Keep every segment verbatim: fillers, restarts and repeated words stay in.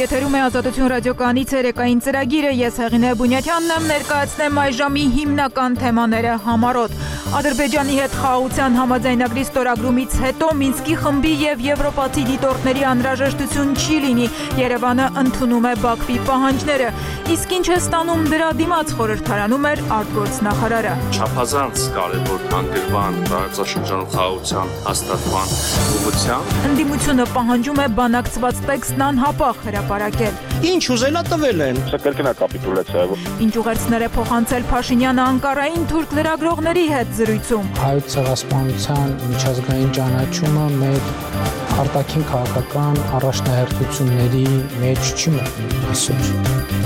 եթերում է Ազատություն ռադիոկայանի ցերեկային ծրագիրը, ես Հեղինե Բունյաթյանն եմ, ներկայացնեմ այժմի հիմնական թեմաները համառոտ։ Ադրբեջանի հետ խաղաղության համաձայնագրի ստորագրումից հետո Մինսկի խմբի եւ եվրոպացի դիտորդների անհրաժեշտություն չի լինի, Երևանը ընդունում է Բաքվի պահանջները, իսկ ինչ է ստանում դրա դիմաց, խորհրդարանում էր արտգործնախարարը։ Չափազանց կարևոր հանգրվան տարածաշրջանում խաղաղության հաստատման ուղղությամբ Ընդդիմությունը պահանջում է բանակցված տեքստն անհապաղ հրապարակել։ Ինչ ուզելա տվել են։ Սա կրկնա կապիտուլյացիա է։ Ինչ ուղերձներ է փոխանցել Փաշինյանը Անկարային թուրք լրագրողների հետ զրույցում։ Հայոց ցեղասպանության միջազգային ճանաչումը մեր արտաքին քաղաքական առաջնահերթությունների մեջ չի մտնում այսօր։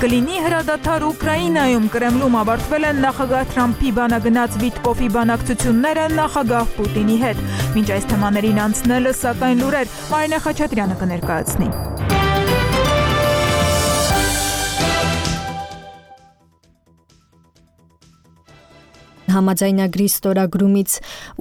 Կլինի հրադադար Ուկրաինայում, Կրեմլում ավարտվել են նախագահ Թրամփի բանագնաց Վիտկոֆի բանակցությունները նախագահ Պուտինի հետ։ Մինչ այս թեմաներին անցնելը, սակայն լուրեր Մարինե Խաչատրյանը կներկայացնի։ Համաձայնագրի ստորագրումից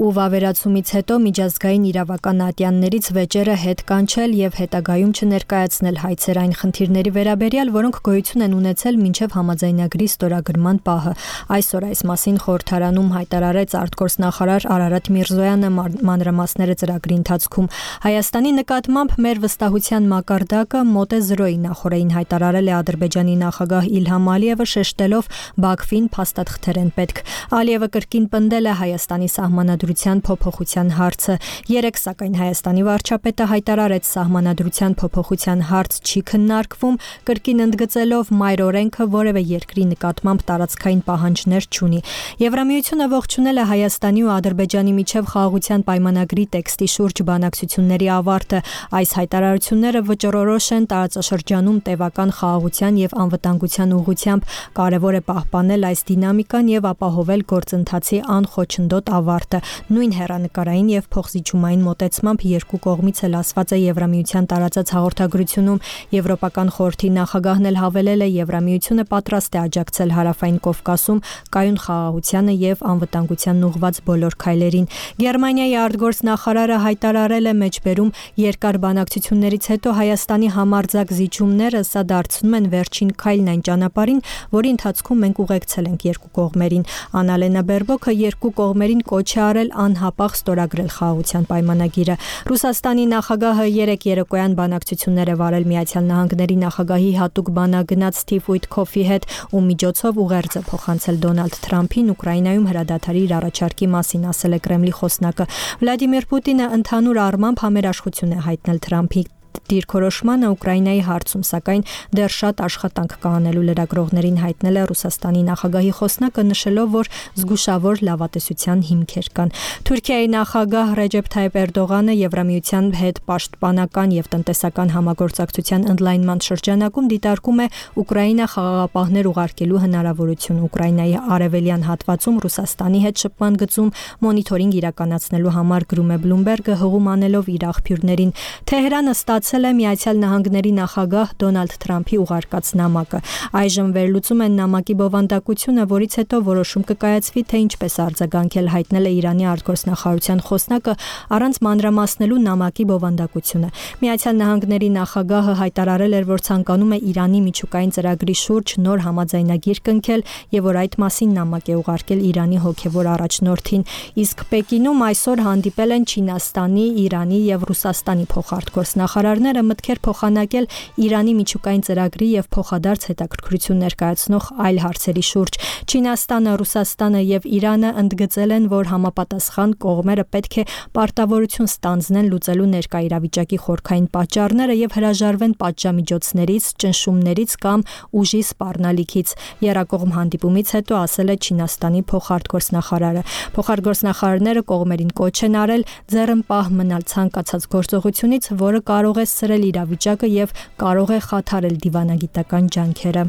ու վավերացումից հետո միջազգային իրավական ատյաններից վեճերը հետ կանչել եւ հետագայում չներկայացնել հայցեր այն խնդիրների վերաբերյալ, որոնք գոյություն են ունեցել մինչեւ համաձայնագրի ստորագրման պահը։ Այսօր այս մասին խորհրդարանում հայտարարեց արտգործնախարար Արարատ Միրզոյանը մանրամասները ծրագրի ընթացքում։ Հայաստանի նկատմամբ մեր վստահության մակարդակը մոտ է զրոյի, նախորդին հայտարարել է Ադրբեջանի նախագահ Իլհամ Ալիևը, շեշտելով Բաքվին փաստաթղթեր են պետք։ Ալիևը կրկին պնդել է Հայաստանի սահմանադրության փոփոխության հարցը։ Երեկ սակայն Հայաստանի վարչապետը հայտարարեց սահմանադրության փոփոխության հարց չի քննարկվում, կրկին ընդգծելով մայր օրենքը որևէ երկրի նկատմամբ տարածքային պահանջներ չունի։ Եվրամիությունը ողջունել է Հայաստանի ու Ադրբեջանի միջև խաղաղության պայմանագրի տեքստի շուրջ բանակցությունների ավարտը։ Այս հայտարարությունները վճռորոշ են տարածաշրջանում տևական խաղաղության եւ անվտանգության ուղղությամբ։ Կարևոր է պահպանել այս դինամիկան եւ ապահովել գործընթացի անխոչնդոտ ավարտը։ Նույն հեռանկարային եւ փոխզիջումային մոտեցմամբ երկու կողմից էլ ասված է Եվրամիության տարածած հաղորդագրությունում։ Եվրոպական խորհրդի նախագահն էլ հավելել է Եվրամիությունը պատրաստ է աջակցել Հարավային Կովկասում կայուն խաղաղությանը եւ անվտանգությանն ուղղված բոլոր քայլերին։ Գերմանիայի արտգործնախարարը հայտարարել է մեջբերում երկար բանակցություններից հետո Հայաստանի համարձակ զիջումները սա դարձնում են վերջին քայլն այն ճանապարհին, որի ընթացքում մենք ուղեկցել ենք երկու կողմերին։ Անալենա Բերբոքը երկու կողմերին կոչ է արել անհապաղ ստորագրել խաղաղության պայմանագիրը։ Ռուսաստանի նախագահը երեկ երեկոյան բանակցություններ է վարել Միացյալ Նահանգների նախագահի հատուկ բանագնաց Սթիվ Ուիթքոֆի հետ, ում միջոցով ուղերձ է փոխանցել Դոնալդ Թրամփին Ուկրաինայում հրադադարի իր առաջարկի մասին, ասել է Կրեմլի խոսնակը։ Վլադիմիր Պուտինը ընդհանուր առմամբ համերաշխություն է հայտնել Թրամփի դիրքորոշմանը Ուկրաինայի հարցում, սակայն դեռ շատ աշխատանք կա անելու լրագրողներին հայտնել է Ռուսաստանի նախագահի խոսնակը, նշելով, որ զգուշավոր լավատեսության հիմքեր կան։ Թուրքիայի նախագահ Ռեջեփ Թայիփ Էրդողանը Եվրամիության հետ պաշտպանական եւ տնտեսական համագործակցության ընդլայնման շրջանակում դիտարկում է Ուկրաինա խաղաղապահներ ուղարկելու հնարավորություն։ Ուկրաինայի արևելյան հատվածում Ռուսաստանի հետ շփման գծում մոնիթորինգ իրականացնելու համար գրում է Bloomberg-ը, հղում անելով իր աղբյուրներին։ Թեհրանը ստացել է Միացյալ Նահանգների նախագահ Դոնալդ Թրամփի ուղարկած նամակը։ Այժմ վերլուծում են նամակի բովանդակությունը, որից հետո որոշում կկայացվի, թե ինչպես արձագանքել, հայտնել է Իրանի արտգործնախարարության խոսնակը առանց մանրամասնելու նամակի բովանդակությունը։ Միացյալ Նահանգների նախագահը հայտարարել էր, որ ցանկանում է Իրանի միջուկային ծրագրի շուրջ նոր համաձայնագիր կնքել եւ որ այդ մասին նամակ է ուղարկել Իրանի հոգեվոր առաջնորդին։ Իսկ Պեկինում այսօր հանդիպել են Չինաստանի, Իրանի եւ Ռուսաստանի փոխարտգործնախարարները մտքեր փոխանակել Իրանի միջուկային ծրագրի եւ փոխադարձ հետաքրքրություն ներկայացնող այլ հարցերի շուրջ։ Չինաստանը, Ռուսաստանը եւ Իրանը ընդգծել են, որ համապատասխան կողմերը պետք է պարտավորություն ստանձնեն լուծելու ներկա իրավիճակի խորքային պատճառները եւ հրաժարվեն պատժամիջոցներից, ճնշումներից կամ ուժի սպառնալիքից։ Եռակողմ հանդիպումից հետո ասել է Չինաստանի փոխարտգործնախարարը։ Փոխարտգործնախարարները կողմերին կոչ են արել ձեռնպահ մնալ ցանկացած գործողությունից, որը կարող է սրել իրավիճակը եւ կարող է խաթարել դիվանագիտական ջանքերը։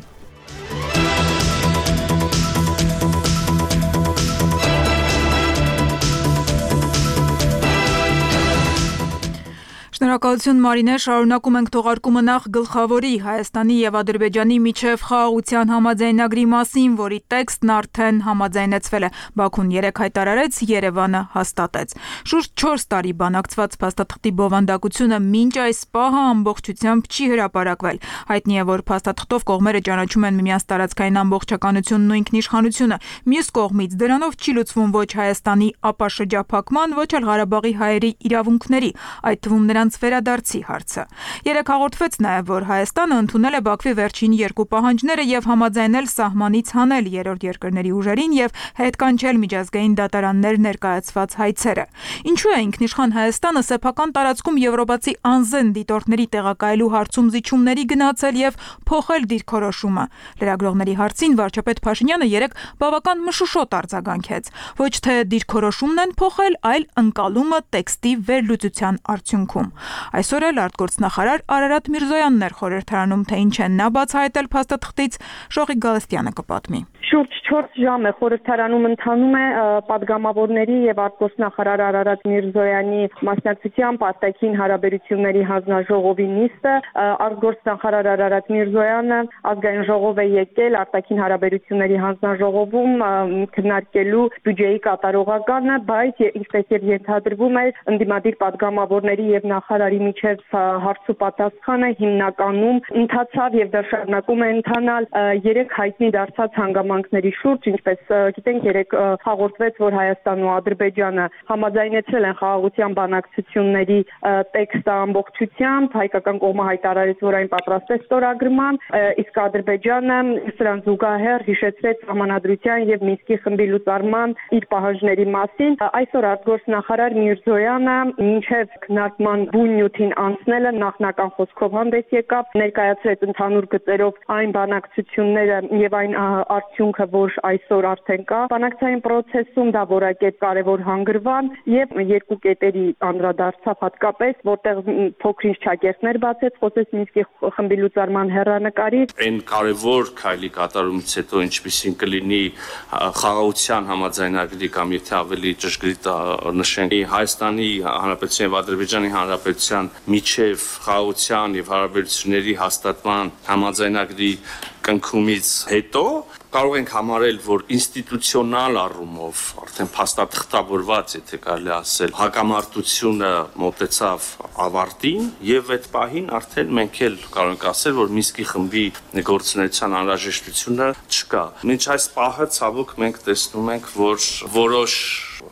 Շնորհակալություն Մարինե, շարունակում ենք թողարկումը նախ գլխավորի Հայաստանի եւ Ադրբեջանի միջև խաղաղության համաձայնագրի մասին, որի տեքստն արդեն համաձայնեցվել է։ Բաքուն երեկ հայտարարեց, Երևանը հաստատեց։ Շուրջ չորս տարի բանակցված փաստաթղթի բովանդակությունը մինչ այս պահը ամբողջությամբ չի հրապարակվել։ Հայտնի է, որ փաստաթղթով կողմերը ճանաչում են միմյանց տարածքային ամբողջականությունն ու ինքնիշխանությունը։ Մյուս կողմից դրանով չի լուծվում ոչ Հայաստանի ապաշրջափակման, ոչ էլ Ղարաբաղի հայերի իրավունքների, այդ թվում նրանց վերադարձի հարցը։ Երեկ հաղորդվեց նաև, որ Հայաստանը ընդունել է Բաքվի վերջին երկու պահանջները եւ համաձայնել սահմանից հանել երրորդ երկրների ուժերին եւ հետ կանչել միջազգային դատարաններ ներկայացված հայցերը։ Ինչու է ինքնիշխան Հայաստանը սեփական տարածքում եվրոպացի անզեն դիտորդների տեղակայելու հարցում զիջումների գնացել եւ փոխել դիրքորոշումը։ Լրագրողների հարցին վարչապետ Փաշինյանը երեկ բավական մշուշոտ արձագանքեց։ Ոչ թե դիրքորոշումն են փոխել, այլ ընկալումը տեքստի վերլուծության արդյունքում։ Այսօր էլ արտգործնախարար Արարատ Միրզոյանն էր խորհրդարանում, թե ինչ են նա բացահայտել փաստաթղթից, Շողիկ Գալստյանը կպատմի։ Շուրջ չորս ժամ է խորհրդարանում ընթանում է պատգամավորների եւ արտգործնախարար Արարատ Միրզոյանի մասնակցությամբ արտաքին հարաբերությունների հանձնաժողովի նիստը։ Արտգործնախարար Արարատ Միրզոյանը ազգային ժողով է եկել արտաքին հարաբերությունների հանձնաժողովում քննարկելու բյուջեի կատարողականը, բայց ինչպես եւ ենթադրվում է, ընդդիմադիր պատգամավորների եւ նախարարի միջև հարց ու պատասխանը հիմնականում ընթացավ եւ դեռ շարունակում է ընթանալ երեք հայտնի դարձած հանգամանքների շուրջ, ինչպես գիտենք, երեք հաղորդվեց, որ Հայաստանն ու Ադրբեջանը համաձայնեցրել են խաղաղության բանակցությունների տեքստը ամբողջությամբ, հայկական կողմը հայտարարեց, որ այն պատրաստ է ստորագրման, իսկ Ադրբեջանը սրան զուգահեռ հիշեցրեց համանadrության եւ Մինսկի խմբի լուծարման իր պահանջների մասին։ Այսօր արտգործնախարար Միրզոյանը մինչև քննարկման բուն նյութին անցնելը նախնական խոսքով հանդես եկավ, ներկայացրեց ընդհանուր գծերով այն բանակցությունները եւ այն արդյունքը, որ այսօր արդեն կա բանակցային process-ում, դա որակետ կարևոր հանգրվան եւ երկու կետերի անդրադարձավ հատկապես, որտեղ փոքրինչ ճակերտներ բացեց, խոսեց Մինսկի խմբի լուծարման հեռանկարի։ Այն կարևոր քայլի կատարումից հետո ինչպիսին կլինի խաղաղության համաձայնագրի կամ եթե ավելի ճշգրիտ նշենք Հայաստանի Հանրապետության եւ Ադրբեջանի Հանրապետության միջև խաղաղության եւ հարաբերությունների հաստատման համաձայնագրի կնքումից հետո կարող ենք համարել, որ ինստիտուցիոնալ առումով արդեն փաստաթղթավորված, եթե կարելի ասել, հակամարտությունը մոտեցավ ավարտին եւ այդ պահին արդեն մենք էլ կարող ենք ասել, որ Մինսկի խմբի գործունեության անհրաժեշտությունը չկա։ Մինչ այս պահը ցավոք մենք տեսնում ենք, որ որոշ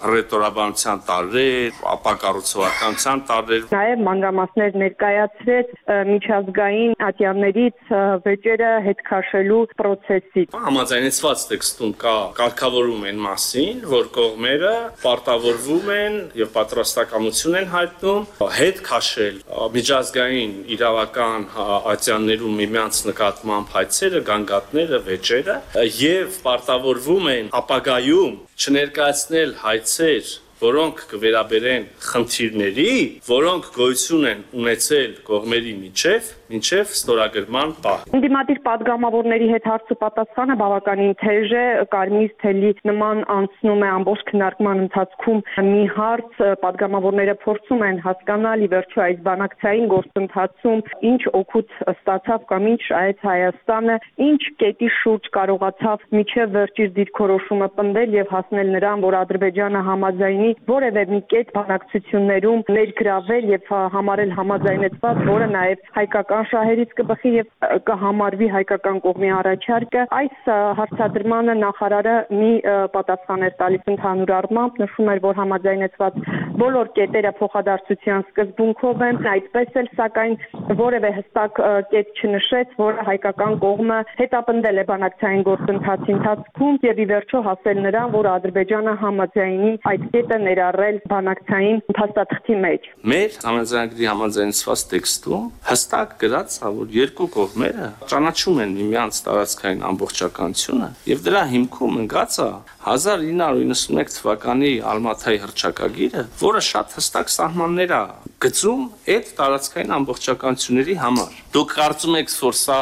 ռետորաբանության տարրեր, ապակառուցողականության տարրեր։ Նաև մանրամասներ ներկայացրեց միջազգային ատյաններից վեճերը հետ քաշելու process-ի։ Համաձայնեցված տեքստում կա կարգավորում այն մասին, որ կողմերը պարտավորվում են եւ պատրաստակամություն են հայտնում հետ քաշել միջազգային իրավական ատյաններում միմյանց նկատմամբ հայցերը, գանգատները, վեճերը եւ պարտավորվում են ապագայում չներկայացնել հայցեր, որոնք կվերաբերեն խնդիրների, որոնք գոյություն են ունեցել կողմերի միջև, մինչև ստորագրման պահ։ Ընդդիմադիր պատգամավորների հետ հարց ու պատասխանը բավականին թեժ է, կարմիր թելի նման անցնում է ամբողջ քննարկման ընթացքում մի հարց, պատգամավորները փորձում են հասկանալ ի վերջո այս բանակցային գործընթացում ինչ օգուտ ստացավ կամ ինչ այց Հայաստանը, ինչ կետի շուրջ կարողացավ միջև վերջի դիրքորոշումը պնդել եւ հասնել նրան, որ Ադրբեջանը համաձայնի որևէ մի կետ բանակցություններում ներգրավել եւ համարել համաձայնեցված, որը նաեւ հայկական շահերից կբխի եւ կհամարվի հայկական կողմի առաջարկը։ Այս հարցադրմանը նախարարը մի պատասխան էր տալիս ընդհանուր առմամբ, նշում էր, որ համաձայնեցված բոլոր կետերը փոխադարձության սկզբունքով են, այդպես էլ սակայն որևէ հստակ կետ չնշեց, որը հայկական կողմը հետապնդել է բանակցային գործընթացի ընթացքում եւ ի վերջո հասել նրան, որ Ադրբեջանը համաձայնի այդ կետը ներառել բանակցային փաստաթղթի մեջ։ Մեր համաձայնագրի համաձայնեցված տեքստում հստակ գրած է, որ երկու կողմերը ճանաչում են միմյանց տարածքային ամբողջականությունը եւ դրա հիմքում ընկած է հազար ինը հարյուր իննսունմեկ թվականի Ալմաթայի հռչակագիրը, որը շատ հստակ սահմաններ է գծում այդ տարածքային ամբողջականությունների համար։ Դուք կարծում եք, որ սա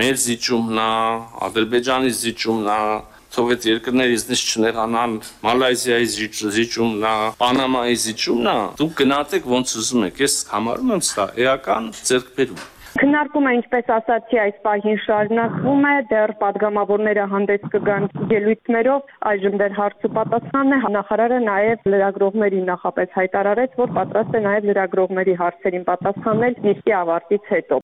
մեր զիջումն է, Ադրբեջանի զիջումն է, թող այդ երկրները իզնից չնեղանան, Մալայզիայի զիջումն է, Պանամայի զիջումն է, դուք գնացեք ոնց ուզում եք, ես համարում եմ սա էական ձեռքբերում։ Քննարկումը, ինչպես ասացի, այս պահին շարունակվում է, դեռ падգամավորները հանդես կգան ելույթներով, այժմ դեռ հարց ու պատասխանն է, նախարարը նաև լրագրողներին նախապես հայտարարեց, որ պատրաստ է նաև լրագրողների հարցերին պատասխանել նիստի ավարտից հետո։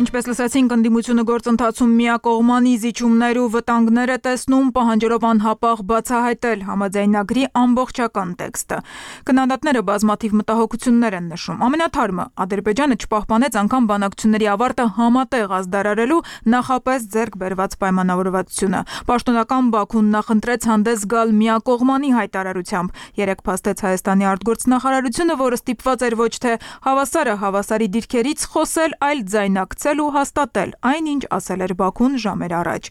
Ինչպես լսեցինք, ընդդիմությունը գործընթացում միակողմանի զիջումներ ու վտանգներ է տեսնում, պահանջելով անհապաղ բացահայտել համաձայնագրի ամբողջական տեքստը։ Քննադատները բազմաթիվ մտահոգություններ են նշում։ Ամենաթարմը Ադրբեջանը չպահպանեց անգամ բանակցությունների ավարտը համատեղ ազդարարելու նախապես ձեռք բերված պայմանավորվածությունը։ Պաշտոնական Բաքուն նախընտրեց հանդես գալ միակողմանի հայտարարությամբ։ Երեկ փաստեց Հայաստանի արտգործնախարարությունը, որը ստիպված էր ոչ թե հավասարը հավասարի դիրքերից խոսել, այլ ձայնակցել ու հաստատել այն, ինչ ասել էր Բաքուն ժամեր առաջ։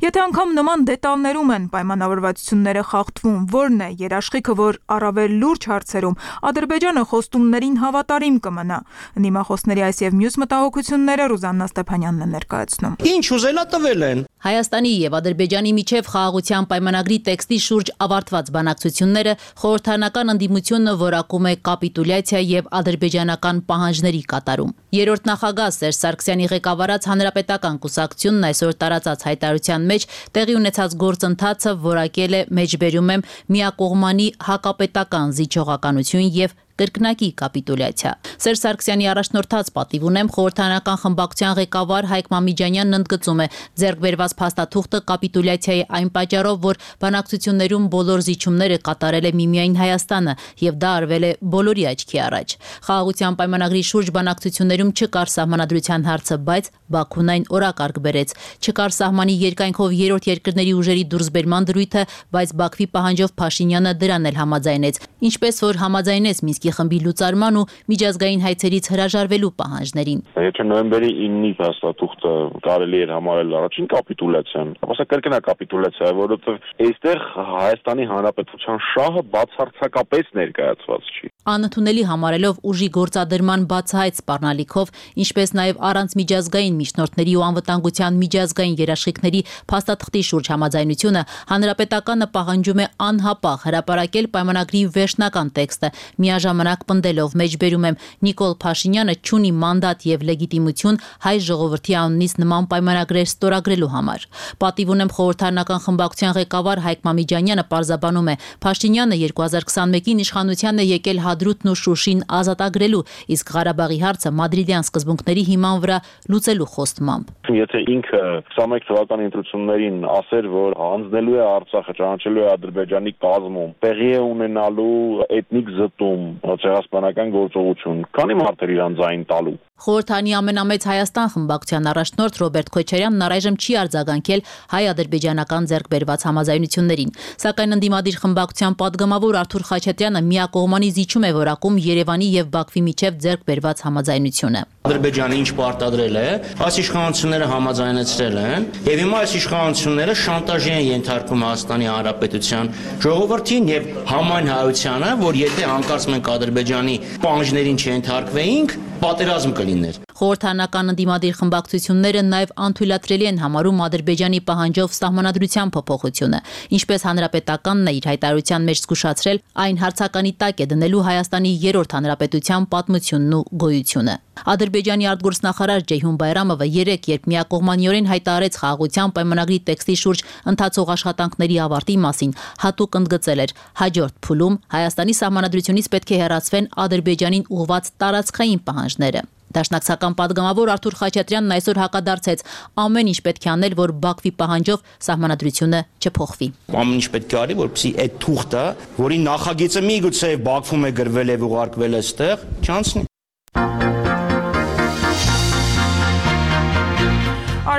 Եթե անգամ նման դետալներում են պայմանավորվածությունները խախտվում, որն է երաշխիքը, որ առավել լուրջ հարցերում Ադրբեջանը խոստումներին հավատարիմ կմնա։ Ընդդիմախոսների այս եւ մյուս մտահոգությունները Ռուզաննա Ստեփանյանն է ներկայացնում։ Ինչ ուզելա տվել են։ Հայաստանի եւ Ադրբեջանի միջև խաղաղության պայմանագրի տեքստի շուրջ ավարտված բանակցությունները խորհրդարանական ընդդիմությունը որակում է կապիտուլյացիա եւ ադրբեջանական պահանջների կատարում։ Երրորդ նախագահ Սերժ Սարգսյանի ղեկավարած հանրապետական կուսակցությունն այսօր տարածած հայտարարության մեջ տեղի ունեցած գործընթացը որակել է մեջբերում եմ միակողմանի հակապետական զիջողականություն եւ կրկնակի կապիտուլյացիա։ Սերժ Սարգսյանի առաջնորդած պատիվ ունեմ խորհրդարանական խմբակցության ղեկավար Հայկ Մամիջանյանն ընդգծում է ձեռք բերված փաստաթուղթը կապիտուլյացիայի այն պատճառով, որ բանակցություններում բոլոր զիջումները կատարել է միմիայն Հայաստանը եւ դա արվել է բոլորի աչքի առաջ։ Խաղաղության պայմանագրի շուրջ բանակցություններում չկար սահմանադրության հարցը, բայց Բաքուն այն օրակարգ բերեց։ Չկար սահմանի երկայնքով երրորդ երկրների ուժերի դուրսբերման դրույթը, բայց Բաքվի պահանջով Փաշինյանը դրան էլ համաձայնեց, ինչպես որ համաձայնեց Մինսկի խմբի լուծարման ու միջազգային հայցերից հրաժարվելու պահանջներին։ Եթե նոյեմբերի իննի փաստաթուղթը կարելի էր համարել առաջին կապիտուլյացիան, ապա սա կրկնա կապիտուլյացիա է, որովհետև այստեղ Հայաստանի Հանրապետության շահը բացարձակապես ներկայացված չի։ Անընդունելի համարելով ուժի գործադրման բացահայտ սպառնալիքով, ինչպես նաև առանց միջազգային միջնորդների ու անվտանգության միջազգային երաշխիքների փաստաթղթի շուրջ համաձայնությունը, Հանրապետականը պահանջում է անհապաղ հրապարակել պայմանագրի վերջնական տեքստը, միաժամանակ պնդելով մեջբերում եմ Նիկոլ Փաշինյանը չունի մանդատ եւ լեգիտիմություն հայ ժողովրդի անունից նման պայմանագրեր ստորագրելու համար։ Պատիվ ունեմ խորհրդարանական խմբակցության ղեկավար Հայկ Մամիջանյանը պարզաբանում է Փաշինյանը երկու հազար քսանմեկին իշխանության է եկել Հադրութն ու Շուշին ազատագրելու, իսկ Ղարաբաղի հարցը մադրիդյան սկզբունքների հիման վրա լուծելու խոստմամբ։ Եթե ինքը քսանմեկ թվականի ընտրություններին ասեր, որ հանձնելու է Արցախը, ճանաչելու է Ադրբեջանի կազմում, տեղի է ունենալու էթնիկ զտում, ցեղասպանական գործողություն, քանի մարդ էր իրան ձայն տալու։ Խորհրդանի ամենամեծ Հայաստան խմբակցության առաջնորդ Ռոբերտ Քոչարյանն առայժմ չի արձագանքել հայ-ադրբեջանական ձեռքբերված համաձայնություններին, սակայն ընդդիմադիր խմբակցության падգամավոր Արթուր Խաչատրյանը միակողմանի զիջում է որակում Երևանի եւ Բաքվի միջև ձեռքբերված համաձայնությունը։ Ադրբեջանը ինչ պարտադրել է, այս իշխանությունները համաձայնեցրել են, եւ հիմա այս իշխանությունները շանտաժի են ենթարկում Հայաստանի Հանրապետության ժողովրդին եւ համայն հայությանը, որ եթե անկարծ մենք Ադրբեջանի պահանջներին չենթարկվեինք, պատերազմ կլիներ։ Խորհրդարանական ընդդիմադիր խմբակցությունները նաև անթույլատրելի են համարում Ադրբեջանի պահանջով սահմանադրության փոփոխությունը, ինչպես Հանրապետականն է իր հայտարարության մեջ զգուշացրել, այն հարցականի տակ է դնելու Հայաստանի երրորդ հանրապետության պատմությունն ու գոյությունը։ Ադրբեջանի արտգործնախարար Ջեյհուն Բայրամովը երեկ, երբ միակողմանիորեն հայտարարեց խաղաղության պայմանագրի տեքստի շուրջ ընթացող աշխատանքների ավարտի մասին, հատուկ ընդգծել էր հաջորդ փուլում Հայաստանի սահմանադրությունից պետք է հեռացվեն Ադրբեջանին ուղղված տարածքային պահանջները։ Դաշնակցական падգամավոր Արթուր Խաչատրյանն այսօր հակադարձեց ամեն ինչ պետք է անել, որ Բաքվի պահանջով սահմանադրությունը չփոխվի։ Ամեն ինչ պետք է արի, որպեսզի այդ թուղթը, որի նախագիծը միգուցե Բաքվում է գրվել եւ ուղարկվել այստեղ, չանցնի։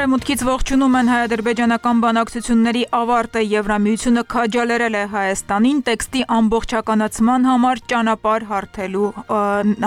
Արևմուտքից ողջունում են հայ-ադրբեջանական բանակցությունների ավարտը Եվրամիությունը քաջալերել է Հայաստանին տեքստի ամբողջականացման համար ճանապարհ հարթելու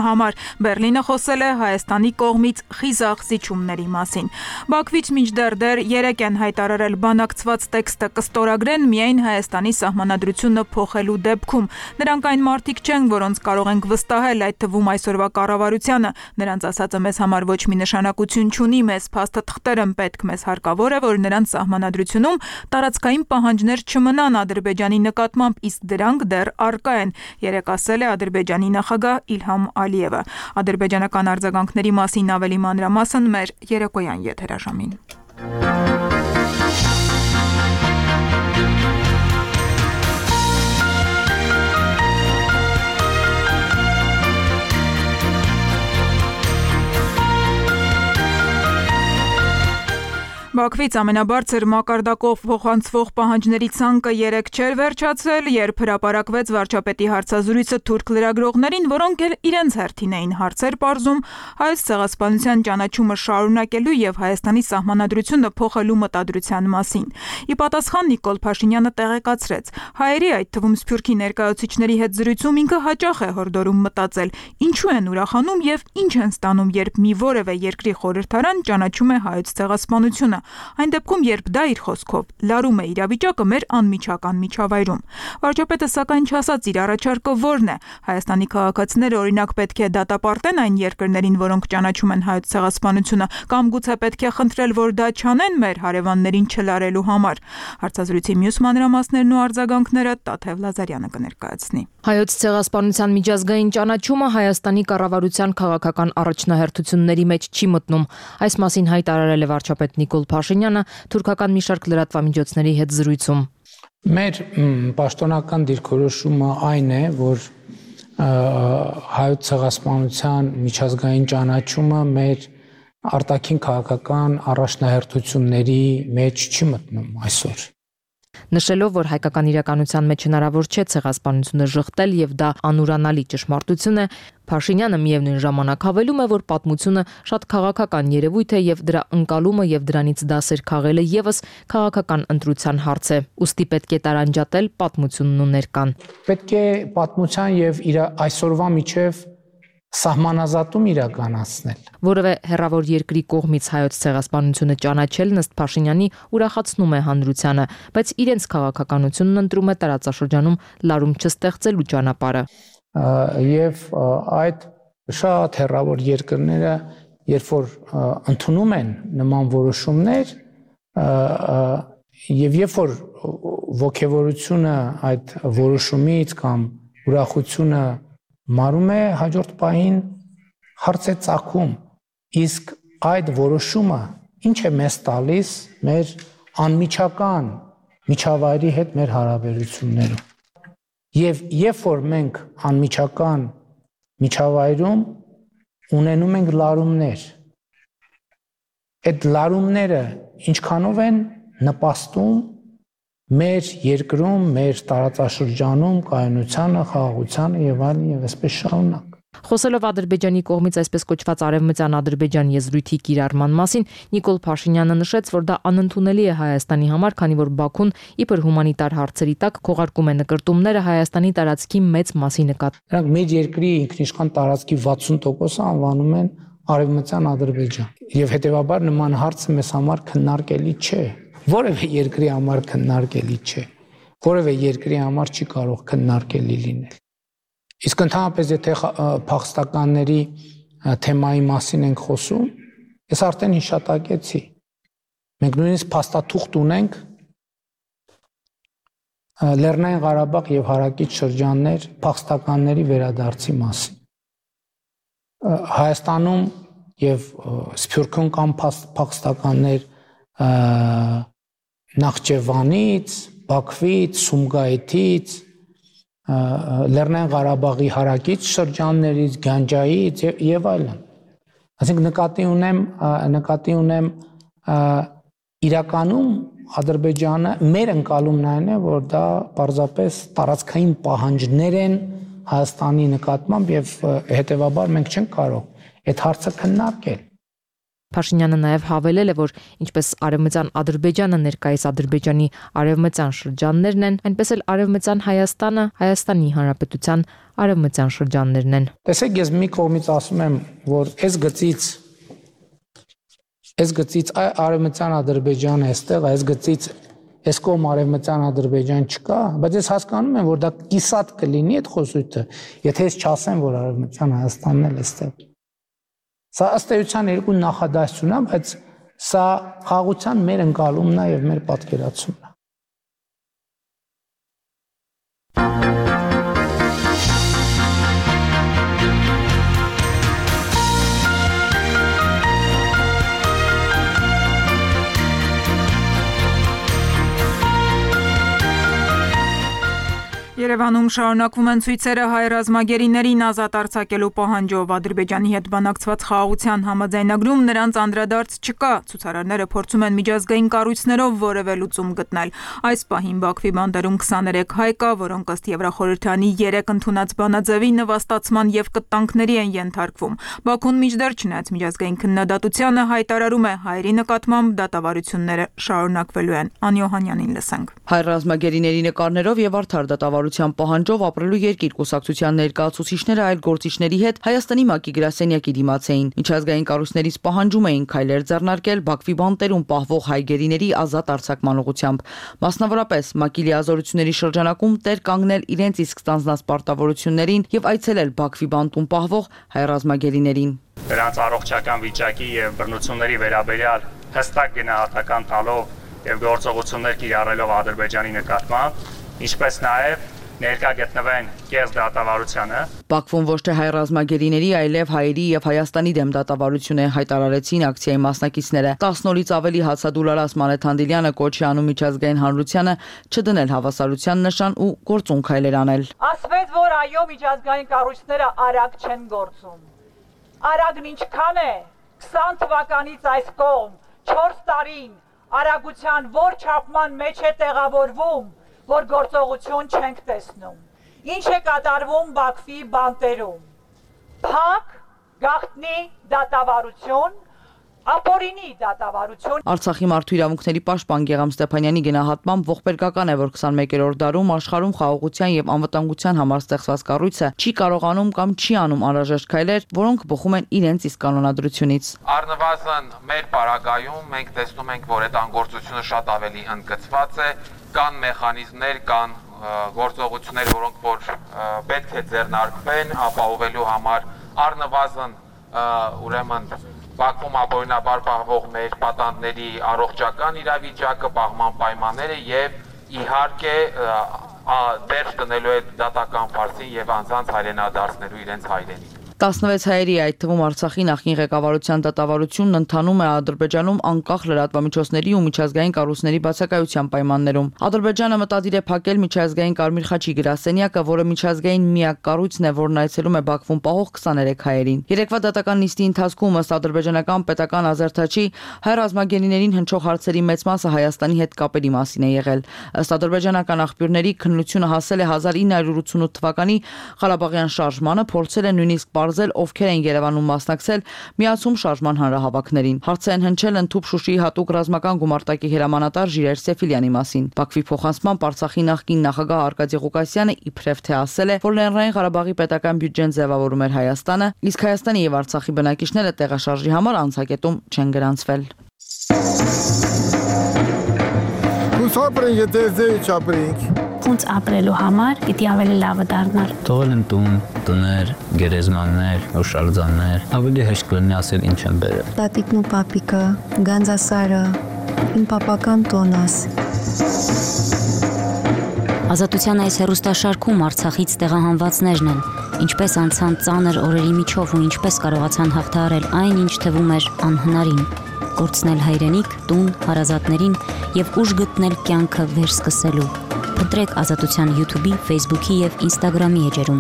համար։ Բերլինը խոսել է Հայաստանի կողմից խիզախ զիջումների մասին։ Բաքվից մինչդեռ դեռ երեք են հայտարարել բանակցված տեքստը կստորագրեն միայն Հայաստանի սահմանադրությունը փոխելու դեպքում։ Նրանք այն մարդիկ չեն, որոնց կարող ենք վստահել, այդ թվում այսօրվա կառավարությանը։ Նրանց ասածը մեզ համար ոչ մի նշանակություն չունի, մեզ փաստը թղթեր են պետք, մեզ հարկավոր է, որ նրանց սահմանադրությունում տարածքային պահանջներ չմնան Ադրբեջանի նկատմամբ, իսկ դրանք դեռ առկա են, երեկ ասել է Ադրբեջանի նախագահ Իլհամ Ալիևը։ Ադրբեջանական արձագանքների մասին ավելի մանրամասն մեր երեկոյան եթերաժամին։ Բաքվից ամենաբարձր մակարդակով փոխանցվող պահանջների ցանկը երեկ չէր վերջացել, երբ հրապարակվեց վարչապետի հարցազրույցը թուրք լրագրողներին, որոնք էլ իրենց հերթին էին հարցեր պարզում հայոց ցեղասպանության ճանաչումը շարունակելու եւ Հայաստանի սահմանադրությունը փոխելու մտադրության մասին։ Ի պատասխան Նիկոլ Փաշինյանը տեղեկացրեց. հայերի, այդ թվում Սփյուռքի ներկայացուցիչների հետ զրույցում ինքը հաճախ է հորդորում մտածել, ինչու են ուրախանում եւ ինչ են ստանում, երբ մի որևէ երկրի խորհրդարան ճանաչում է հայոց ցեղասպանությունը։ Այն դեպքում, երբ դա իր խոսքով լարում է իրավիճակը մեր անմիջական միջավայրում։ Վարչապետը սակայն չասաց իր առաջարկը որն է։ Հայաստանի քաղաքացիները օրինակ պետք է դատապարտեն այն երկրներին, որոնք ճանաչում են հայոց ցեղասպանությունը, կամ գուցե պետք է խնդրել, որ դա չանեն մեր հարևաններին չլարելու համար։ Հարցազրույցի մյուս մանրամասներն ու արձագանքները Տաթև Լազարյանը կներկայացնի։ Հայոց ցեղասպանության միջազգային ճանաչումը Հայաստանի կառավարության քաղաքական առաջնահերթությունների մեջ չի մտնում։ Այս մասին հայտարարել է վարչապետ Նիկոլ Փաշինյանը թուրքական մի շարք լրատվամիջոցների հետ զրույցում։ Մեր պաշտոնական դիրքորոշումը այն է, որ հայոց ցեղասպանության միջազգային ճանաչումը մեր արտաքին քաղաքական առաջնահերթությունների մեջ չի մտնում այսօր։ Նշելով, որ հայկական իրականության մեջ հնարավոր չէ ցեղասպանությունը ժխտել եւ դա անուրանալի ճշմարտություն է, Փաշինյանը միևնույն ժամանակ հավելում է, որ պատմությունը շատ քաղաքական երևույթ է եւ դրա ընկալումը եւ դրանից դասեր քաղելը եւս քաղաքական ընտրության հարց է։ Ուստի պետք է տարանջատել պատմությունն ու ներկան։ Պետք է պատմության եւ իր այսօրվա միջև սահմանազատում իրականացնել։ Որևէ հեռավոր երկրի կողմից հայոց ցեղասպանությունը ճանաչելն ըստ Փաշինյանի ուրախացնում է հանրությանը, բայց իրենց քաղաքականությունն ընտրում է տարածաշրջանում լարում չստեղծելու ճանապարհը։ Եվ այդ շատ հեռավոր երկրները, երբ որ ընդունում են նման որոշումներ, եւ երբ որ ողջավորությունը այդ որոշումից կամ ուրախությունը մարում է, հաջորդ պահին հարց է ծագում, իսկ այդ որոշումը ինչ է մեզ տալիս մեր անմիջական միջավայրի հետ մեր հարաբերություններում։ Եվ երբ որ մենք անմիջական միջավայրում ունենում ենք լարումներ, այդ լարումները ինչքանով են նպաստում մեր երկրում, մեր տարածաշրջանում կայունությանը, խաղաղությանը եւ այլն եւ այսպես շարունակ։ Խոսելով Ադրբեջանի կողմից այսպես կոչված արևմտյան Ադրբեջան եզրույթի կիրառման մասին, Նիկոլ Փաշինյանը նշեց, որ դա անընդունելի է Հայաստանի համար, քանի որ Բաքուն իբր հումանիտար հարցերի տակ քողարկում է նկրտումները Հայաստանի տարածքի մեծ մասի նկատմամբ։ Նրանք մեր երկրի ինքնիշխան տարածքի վաթսուն տոկոսը անվանում են արևմտյան Ադրբեջան, եւ հետեւաբար նման հարցը մեզ համար քննարկելի չէ։ Որևէ երկրի համար քննարկելի չէ։ Որևէ երկրի համար չի կարող քննարկելի լինել։ Իսկ ընդհանրապես եթե փախստականների թեմայի մասին ենք խոսում, ես արդեն հիշատակեցի։ Մենք նույնիսկ փաստաթուղթ ունենք Լեռնային Ղարաբաղ եւ հարակից շրջաններ փախստականների վերադարձի մասին։ Հայաստանում եւ Սփյուռքում կան փախստականներ Նախճեվանից, Բաքվից, Սումգայիթից, Լեռնային Ղարաբաղի հարակից շրջաններից, Գանջայից եւ այլն։ Այսինքն նկատի ունեմ, նկատի ունեմ իրականում Ադրբեջանը մեր ընկալումն այն է, որ դա պարզապես տարածքային պահանջներ են Հայաստանի նկատմամբ եւ հետեւաբար մենք չենք կարող այդ հարցը քննարկել։ Փաշինյանը նաև հավելել է, որ ինչպես Արևմտյան Ադրբեջանը ներկայիս Ադրբեջանի արևմտյան շրջաններն են, այնպես էլ Արևմտյան Հայաստանը Հայաստանի Հանրապետության արևմտյան շրջաններն են։ Տեսեք, ես մի կողմից ասում եմ, որ այս գծից այս գծից Արևմտյան Ադրբեջանը էստեղ, այս գծից այս կողմ Արևմտյան Ադրբեջան չկա, բայց ես հասկանում եմ, որ դա կիսատ կլինի այդ խոսույթը, եթե ես չասեմ, որ Արևմտյան Հայաստանն էլ էստեղ։ Սա ըստ էության երկու նախադասություն է, բայց սա խաղաղության մեր ընկալումն է եւ մեր պատկերացումն է։ Երևանում շարունակվում են ցույցերը հայ ռազմագերիներին ազատ արձակելու պահանջով։ Ադրբեջանի հետ բանակցված խաղաղության համաձայնագրում նրանց անդրադարձ չկա։ Ցուցարարները փորձում են միջազգային կառույցներով որևէ լուծում գտնել։ Այս պահին Բաքվի բանտերում քսաներեք հայ կա, որոնք ըստ Եվրախորհրդանի երեք ընդունած բանաձևի նվաստացման եւ կտանքների են ենթարկվում։ Բաքուն մինչդեռ չնայած միջազգային քննադատությանը հայտարարում է հայերի նկատմամբ դատավարությունները շարունակվելու են։ Անի Օհանյանին լսենք։ Հայ ռազմագերիների նկարներով եւ արդար դատավարության պահանջով ապրելու երկիր կուսակցության ներկայացուցիչները այլ գործիչների հետ Հայաստանի ՄԱԿ-ի գրասենյակի դիմաց էին։ Միջազգային կառույցներից պահանջում էին քայլեր ձեռնարկել Բաքվի բանտերում պահվող հայ գերիների ազատ արձակման ուղղությամբ։ Մասնավորապես ՄԱԿ-ի լիազորությունների շրջանակում տեր կանգնել իրենց իսկ ստանձնած պարտավորություններին եւ այցելել Բաքվի բանտում պահվող հայ ռազմագերիներին։ Նրանց առողջական վիճակի եւ բռնությունների վերաբերյալ հստակ գնահատական տալով եւ գործողություններ կիրառելով Ադրբեջանի նկատմամբ, ինչպես նաեւ ներկա գտնվեն կեղծ դատավարությանը։ Բաքվում ոչ թե հայ ռազմագերիների, այլև հայերի եւ Հայաստանի դեմ դատավարություն է հայտարարեցին ակցիայի մասնակիցները։ տասն օրից ավելի հացադուլարած Մանեթ Հանդիլյանը կոչ է անում միջազգային հանրությանը չդնել հավասարության նշան ու գործուն քայլեր անել։ Ասվեց, որ այո, միջազգային կառույցները արագ չեն գործում։ Արագն ինչքան է։ քսան թվականից այս կողմ չորս տարին արագության որ չափման մեջ է տեղավորվում, որ գործողություն չենք տեսնում։ Ինչ է կատարվում Բաքվի բանտերում։ Փակ, գաղտնի դատավարություն, ապօրինի դատավարություն։ Արցախի մարդու իրավունքների պաշտպան Գեգամ Ստեփանյանի գնահատմամբ ողբերգական է, որ քսանմեկերորդ դարում աշխարհում խաղաղության եւ անվտանգության համար ստեղծված կառույցը չի կարողանում կամ չի անում անհրաժեշտ քայլեր, որոնք բխում են իրենց իսկ կանոնադրությունից։ Առնվազն մեր պարագայում մենք տեսնում ենք, որ այդ անգործությունը շատ ավելի ընդգծված է, կան մեխանիզմներ, կան գործողություններ, որոնք որ պետք է ձեռնարկվեն ապահովելու համար առնվազն ուրեմն Բաքվում ապօրինաբար պահվող մեր պատանդների առողջական իրավիճակը, պահման պայմանները եւ իհարկե դերձ տնելու է դատական ֆարսին եւ անձանց հայրենադարձնելու իրենց հայրենիք։ տասնվեց հայերի, այդ թվում Արցախի նախկին ղեկավարության դատավարությունն ընթանում է Ադրբեջանում անկախ լրատվամիջոցների ու միջազգային կառույցների բացակայության պայմաններում։ Ադրբեջանը մտադիր է փակել միջազգային Կարմիր խաչի գրասենյակը, որը միջազգային միակ կառույցն է, որն այցելում է Բաքվում պահող քսաներեք հայերին։ Երեկվա դատական նիստի ընթացքում ըստ ադրբեջանական պետական ազերթաչի հայ ռազմագերիներին հնչող հարցերի մեծ մասը Հայաստանի հետ կապերի մասին է եղել։ Ըստ ադրբեջանական աղբյուրների քննությունը հասել է հազար ինը հարյուր ութսունութ թվականի Ղարաբաղյան շարժմանը, փորձել է նույնիսկ բարձել ովքեր են Երևանում մասնակցել միացում շարժման հանրահավաքներին։ Հարց են հնչել ընդհուպ Շուշիի հատուկ ռազմական գումարտակի հրամանատար Ժիրայր Սեֆիլյանի մասին։ Բաքվի փոխանցմամբ Արցախի նախկին նախագահ Արկադի Ղուկասյանը իբրև թե ասել է, որ Լեռնային Ղարաբաղի պետական բյուջեն ձևավորում էր Հայաստանը, իսկ Հայաստանի եւ Արցախի բնակիչները տեղաշարժի համար անցակետում չեն գրանցվել։ Ուսապրենք, եթե ձեի չապրենք։ Ոնց ապրելու համար պիտի ավելի լավը դառնար։ Թողել են տուն, տներ, գերեզմաններ, հուշարձաններ, ավելի հեշտ կլինի ասել ինչ են բերել։ Տատիկն ու պապիկը, Գանձասարը, իմ պապական տոնս։ Ազատության այս հեռուստաշարքում Արցախից տեղահանվածներն են, ինչպես անցան ծանր օրերի միջով ու ինչպես կարողացան հաղթահարել այն, ինչ թվում էր անհնարին, կորցնել հայրենիք, տուն, հարազատներին եւ ուժ գտնել կյանքը վերսկսելու։ Ընտրեք Ազատության YouTube-ի, Facebook-ի եւ Instagram-ի էջերում։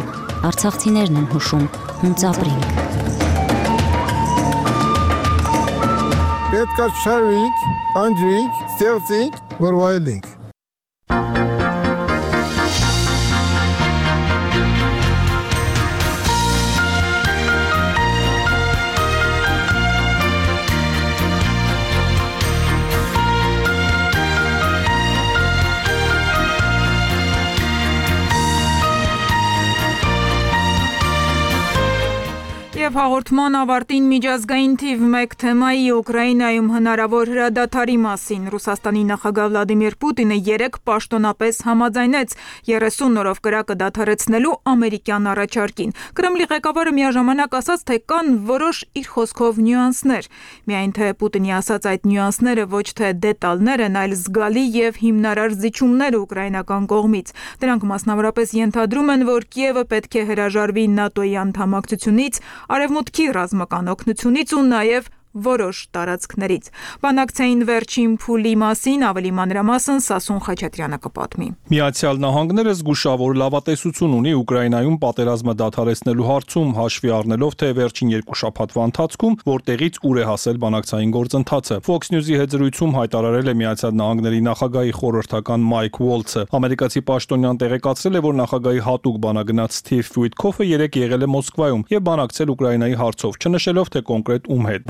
Արցախցիներն են հուշում, հունց ապրենք։ Պետք է շարվենք, անջրենք, ստեղծենք, որ վայելենք։ Եվ հաղորդման ավարտին միջազգային թիվ մեկ թեմայի Ուկրաինայում հնարավոր հրադադարի մասին Ռուսաստանի նախագահ Վլադիմիր Պուտինը երեկ պաշտոնապես համաձայնեց երեսուն օրով կրակը դադարեցնելու ամերիկյան առաջարկին։ Կրեմլի ղեկավարը միաժամանակ ասաց, թե կան որոշ իր խոսքով նյուանսներ։ Միայն թե Պուտինի ասած այդ նյուանսները ոչ թե դետալներ են, այլ զգալի եւ հիմնարար զիջումներ ուկրաինական կողմից։ Դրանք մասնավորապես ենթադրում են, որ Կիևը պետք է հրաժարվի ՆԱՏՕ-ի անդամակցությունից, Արևմուտքի ռազմական օգնությունից ու նաև որոշ տարածքներից։ Բանակցային վերջին փուլի մասին ավելի մանրամասն Սասուն Խաչատրյանը կպատմի։ Միացյալ Նահանգները զգուշավոր լավատեսություն ունի Ուկրաինայում պատերազմը դադարեցնելու հարցում, հաշվի առնելով, թե վերջին երկու շաբաթվա ընթացքում որտեղից ուր է հասել բանակցային գործընթացը։ Fox News-ի հետ զրույցում հայտարարել է Միացյալ Նահանգների նախագահի խորհրդական Մայք Ուոլցը։ Ամերիկացի պաշտոնյան տեղեկացրել է, որ նախագահի հատուկ բանագնաց Սթիվ Վիթքոֆը երեկ եղել է Մոսկվայում եւ բանակցել Ուկրաինայի հարցով, չնշելով թե կոնկրետ ում հետ։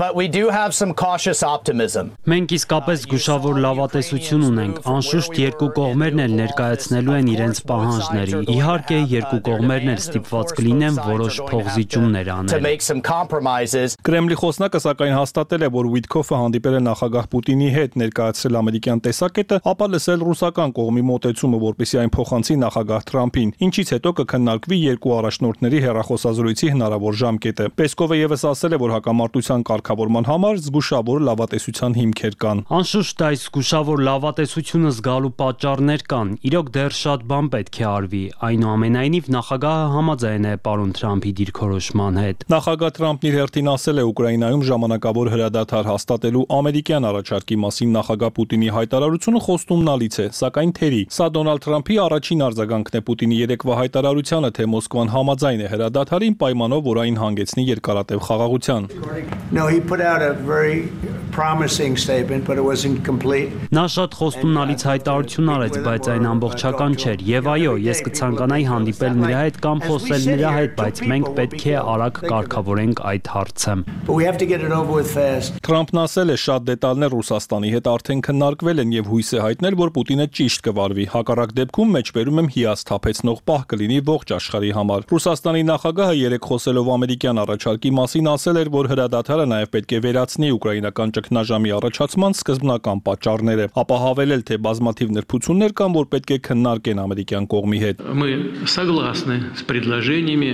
Մենք իսկապես զգուշավոր լավատեսություն ունենք, անշուշտ երկու կողմերն էլ ներկայացնելու են իրենց պահանջները։ Իհարկե, երկու կողմերն էլ ստիպված կլինեն որոշ փոխզիջումներ անել։ Կրեմլի խոսնակը սակայն հաստատել է, որ Վիթքոֆը հանդիպել է նախագահ Պուտինի հետ, ներկայացրել ամերիկյան տեսակետը, ապա լսել ռուսական կողմի մոտեցումը, որպեսզի այն փոխանցի նախագահ Թրամփին, ինչից հետո կքննարկվի երկու առաջնորդների հեռախոսազրույցի հնարավոր ժամկետը։ Պեսկովը ևս ասել է, որ հակամարտության կարգավորման համար զգուշավոր լավատեսության հիմքեր կան։ Անշուշտ այս զգուշավոր լավատեսությունը զգալու պատճառներ կան։ Իրոք դեռ շատ բան պետք է արվի։ Այնուամենայնիվ նախագահը համաձայն է պարոն Թրամփի դիրքորոշման հետ։ Նախագահ Թրամփն իր հերթին ասել է Ուկրաինայում ժամանակավոր հրադադար հաստատելու ամերիկյան առաջարկի մասին նախագահ Պուտինի հայտարարությունը խոստումնալից է, սակայն թերի։ Սա Դոնալդ Թրամփի առաջին արձագանքն է Պուտինի երեկվա հայտարարությանը, թե Մոսկվան համաձայն է հրադադարին պայմանով, որ այն հանգեցնի երկարատև խաղաղության։ No, he put out a very promising statement, but it wasn't complete. Նա շատ խոստումնալից հայտարարություն արեց, բայց այն ամբողջական չէր։ Եվ այո, ես կցանկանայի հանդիպել նրա հետ կամ խոսել նրա հետ, բայց մենք պետք է արագ կարգավորենք այդ հարցը։ But we have to get it over with fast. Թրամփն ասել է, շատ դետալներ Ռուսաստանի հետ արդեն քննարկվել են եւ հույս է հայտնել, որ Պուտինը ճիշտ կվարվի։ Հակառակ դեպքում մեջբերում եմ հիասթափեցնող պահ կլինի ողջ աշխարհի համար։ Ռուսաստանի նախագահը երեք խոսելով ամերիկյան առաջարկի մասին ասել էր, որ հրադադարը նաև պետք է վերացնի ուկրաինական ճգնաժամի առաջացման սկզբնական պատճառները, ապա հավելել, թե բազմաթիվ նրբություններ կան, որ պետք է քննարկեն ամերիկյան կողմի հետ։ Мы согласны с предложениями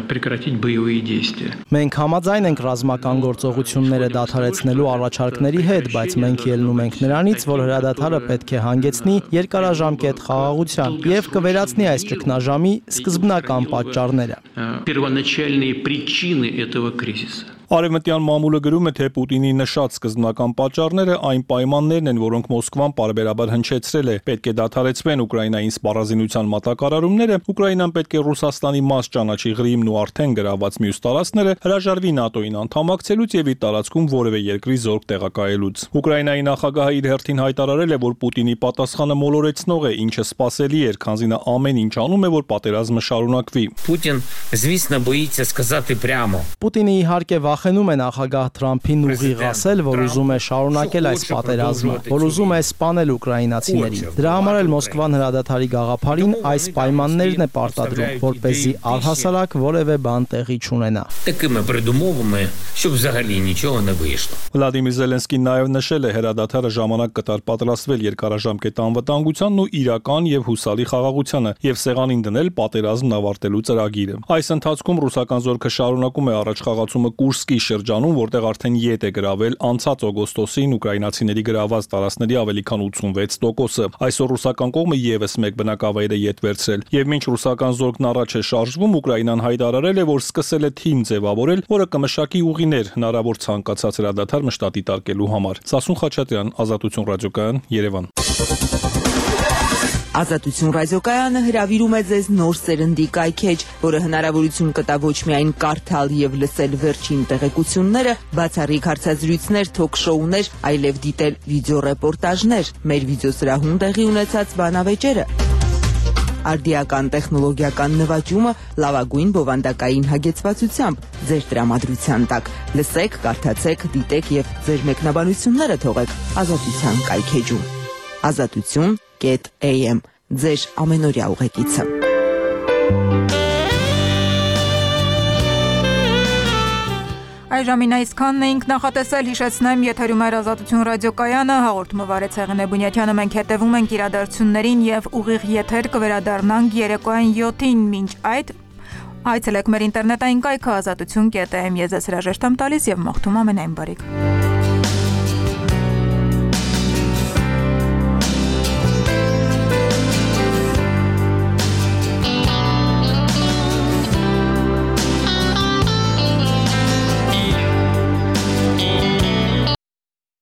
прекратить боевые действия. Մենք համաձայն ենք ռազմական գործողությունները դադարեցնելու առաջարկների հետ, բայց մենք ելնում ենք նրանից, որ հրադադարը պետք է հանգեցնի երկարաժամկետ խաղաղության եւ կվերացնի այս ճգնաժամի սկզբնական պատճառները։ Первоначальные причины этого кризиса. Արևմտյան մամուլը գրում է, թե Պուտինի նշած սկզբնական պատճառները այն պայմաններն են, որոնք Մոսկվան պարբերաբար հնչեցրել է։ Պետք է դադարեցվեն Ուկրաինային սպառազինության մատակարարումները, Ուկրաինան պետք է Ռուսաստանի մաս ճանաչի Ղրիմն ու արդեն գրաված մյուս տարածքները, հրաժարվի ՆԱՏՕ-ին անդամակցելուց եւ իր տարածքում որևէ երկրի զորք տեղակայելուց։ Ուկրաինայի նախագահը իր հերթին հայտարարել է, որ Պուտինի պատասխանը մոլորեցնող է, ինչը սպասելի էր, քանզի նա ամեն ինչ անում է, որ պատերազմը շարունակվի։ Պուտին, звісно, боїться сказати прямо. Պուտինը իհարկե վախենում է նախագահ Թրամփին ուղիղ ասել, որ ուզում է շարունակել այս պատերազմը, որ ուզում է սպանել ուկրաինացիներին։ Դրա համար էլ Մոսկվան հրադադարի գաղափարին այս պայմաններն է պարտադրում, որպեսզի առհասարակ որևէ բան տեղի չունենա։ Такими передумовами, щоб взагалі нічого не вийшло. Վլադիմիր Զելենսկին նաև նշել է, հրադադարը ժամանակ կտար պատրաստվել երկարաժամկետ անվտանգությանն ու իրական եւ հուսալի խաղաղությանը եւ սեղանին դնել պատերազմն ավարտելու ծրագիրը։ Այս ընթացքում ռուսական զորքը շարունակում է առաջխաղացումը Կուրսկի շրջանում, որտեղ արդեն ետ է գրավել անցած օգոստոսին ուկրաինացիների գրաված տարածքների ավելի քան ութսունվեց տոկոսը։ Այսօր ռուսական կողմը եւս մեկ բնակավայր է ետ վերցրել։ Եվ մինչ ռուսական զորքն առաջ է շարժվում, Ուկրաինան հայտարարել է, որ սկսել է թիմ ձևավորել, որը կմշակի ուղիներ հնարավոր ցանկացած հրադադար մշտատի տարկելու համար։ Սասուն Խաչատրյան, Ազատություն ռադիոկայան, Երևան։ Ազատություն ռադիոկայանը հրավիրում է ձեզ նոր սերնդի կայքեջ, որը հնարավորություն կտա ոչ միայն կարդալ եւ լսել վերջին տեղեկությունները, բացառիկ հարցազրույցներ, թոք-շոուներ, այլև դիտել վիդեոռեպորտաժներ, մեր վիդեոսրահում տեղի ունեցած բանավեճերը, արդիական տեխնոլոգիական նվաճումը լավագույն բովանդակային հագեցվածությամբ ձեր տրամադրության տակ։ Լսեք, կարդացեք, դիտեք եւ ձեր մեկնաբանությունները թողեք Ազատության կայքեջում։ Ազատություն Get A M ձեր ամենօրյա ուղեկիցը։ Այժմին այսքանն էինք նախատեսել, հիշեցնեմ, եթերում էր Ազատություն ռադիոկայանը, հաղորդումը վարեց Հեղինե Բունյաթյանը, մենք հետևում ենք իրադարձություններին եւ ուղիղ եթեր կվերադառնանք երեկոյան յոթին, մինչ այդ այցելեք մեր ինտերնետային կայքը ազատություն կետ էմ, ես ձեզ հրաժեշտ եմ տալիս եւ մաղթում ամենայն բարիք։